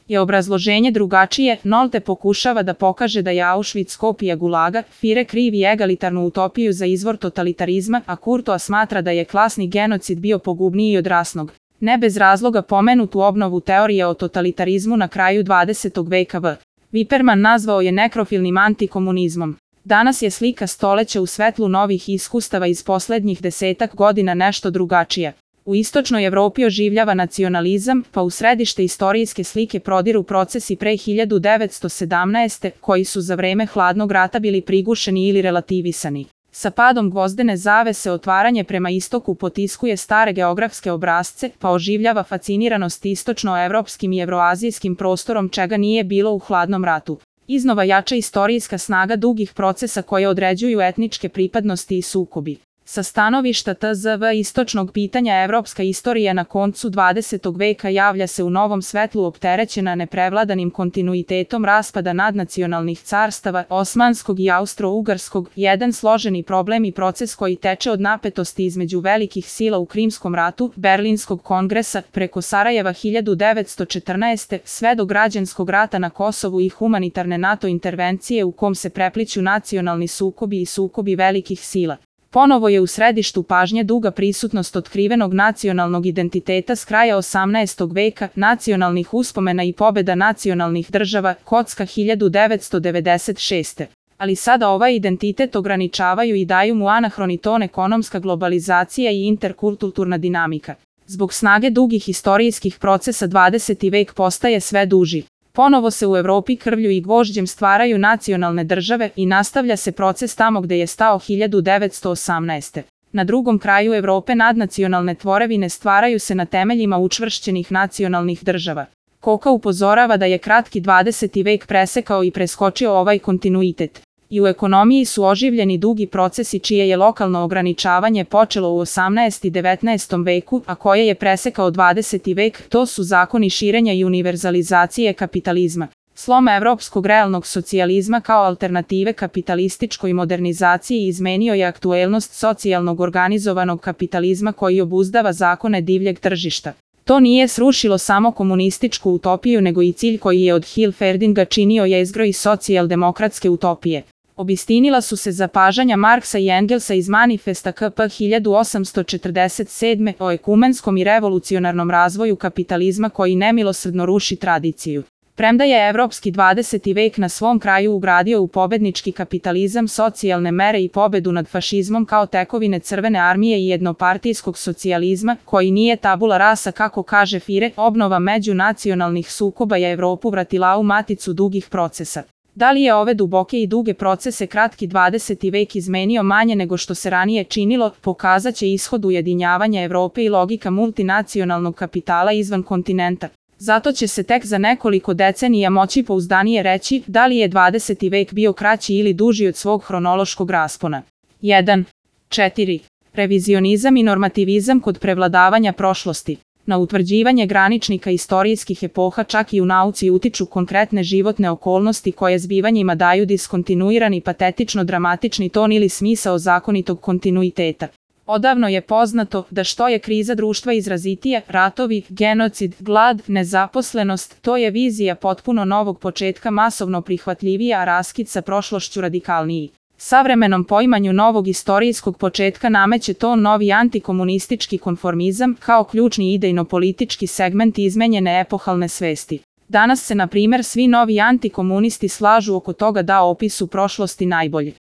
je obrazloženje drugačije. Nolte pokušava da pokaže da je Auschwitz kopija Gulaga, Führer krivi egalitarnu utopiju za izvor totalitarizma, a Courtois smatra da je klasni genocid bio pogubniji od rasnog. Ne bez razloga pomenutu obnovu teorije o totalitarizmu na kraju 20. veka v. Wipperman nazvao je nekrofilnim antikomunizmom. Danas je slika stoleća u svetlu novih iskustava iz poslednjih 10 godina nešto drugačija. U istočnoj Evropi oživljava nacionalizam, pa u središte istorijske slike prodiru procesi pre 1917. koji su za vreme hladnog rata bili prigušeni ili relativisani. Sa padom gvozdene zavese otvaranje prema istoku potiskuje stare geografske obrazce, pa oživljava fasciniranost istočnoevropskim i evroazijskim prostorom čega nije bilo u hladnom ratu. Iznova jača istorijska snaga dugih procesa koje određuju etničke pripadnosti i sukobi. Sa stanovišta tzv. Istočnog pitanja evropska istorija na koncu 20. veka javlja se u novom svetlu opterećena neprevladanim kontinuitetom raspada nadnacionalnih carstava, osmanskog i austro-ugarskog, jedan složeni problem i proces koji teče od napetosti između velikih sila u Krimskom ratu, Berlinskog kongresa, preko Sarajeva 1914. sve do građanskog rata na Kosovu i humanitarne NATO intervencije u kom se prepliću nacionalni sukobi i sukobi velikih sila. Ponovo je u središtu pažnje duga prisutnost otkrivenog nacionalnog identiteta s kraja 18. veka, nacionalnih uspomena i pobeda nacionalnih država, Kocka 1996. Ali sada ovaj identitet ograničavaju i daju mu anahroni ton ekonomska globalizacija i interkulturna dinamika. Zbog snage dugih istorijskih procesa 20. vek postaje sve duži. Ponovo se u Evropi krvlju i gvožđem stvaraju nacionalne države i nastavlja se proces tamo gde je stao 1918. Na drugom kraju Evrope nadnacionalne tvorevine stvaraju se na temeljima učvršćenih nacionalnih država. Koka upozorava da je kratki 20. vek presekao i preskočio ovaj kontinuitet. I u ekonomiji su oživljeni dugi procesi čije je lokalno ograničavanje počelo u 18. i 19. veku, a koje je presekao 20. vek, to su zakoni širenja i univerzalizacije kapitalizma. Slom evropskog realnog socijalizma kao alternative kapitalističkoj modernizaciji izmenio je aktuelnost socijalnog organizovanog kapitalizma koji obuzdava zakone divljeg tržišta. To nije srušilo samo komunističku utopiju nego i cilj koji je od Hilferdinga činio jezgro i socijaldemokratske utopije. Obistinila su se zapažanja Marksa i Engelsa iz manifesta KP 1847. o ekumenskom i revolucionarnom razvoju kapitalizma koji nemilosrdno ruši tradiciju. Premda je evropski 20. vek na svom kraju ugradio u pobednički kapitalizam socijalne mere i pobedu nad fašizmom kao tekovine Crvene armije i jednopartijskog socijalizma, koji nije tabula rasa kako kaže Führer, obnova međunacionalnih sukoba je Evropu vratila u maticu dugih procesa. Da li je ove duboke i duge procese kratki 20. vek izmenio manje nego što se ranije činilo, pokazat će ishod ujedinjavanja Evrope i logika multinacionalnog kapitala izvan kontinenta. Zato će se tek za nekoliko decenija moći pouzdanije reći da li je 20. vek bio kraći ili duži od svog hronološkog raspona. 1. 4. Revizionizam i normativizam kod prevladavanja prošlosti. Na utvrđivanje graničnika istorijskih epoha čak i u nauci utiču konkretne životne okolnosti koje zbivanjima daju diskontinuirani patetično-dramatični ton ili smisao zakonitog kontinuiteta. Odavno je poznato da što je kriza društva izrazitija, ratovi, genocid, glad, nezaposlenost, to je vizija potpuno novog početka masovno prihvatljivija, a raskid sa prošlošću radikalniji. Savremenom poimanju novog istorijskog početka nameće to novi antikomunistički konformizam kao ključni idejno-politički segment izmenjene epohalne svesti. Danas se, na primjer, svi novi antikomunisti slažu oko toga da opis u prošlosti najbolji.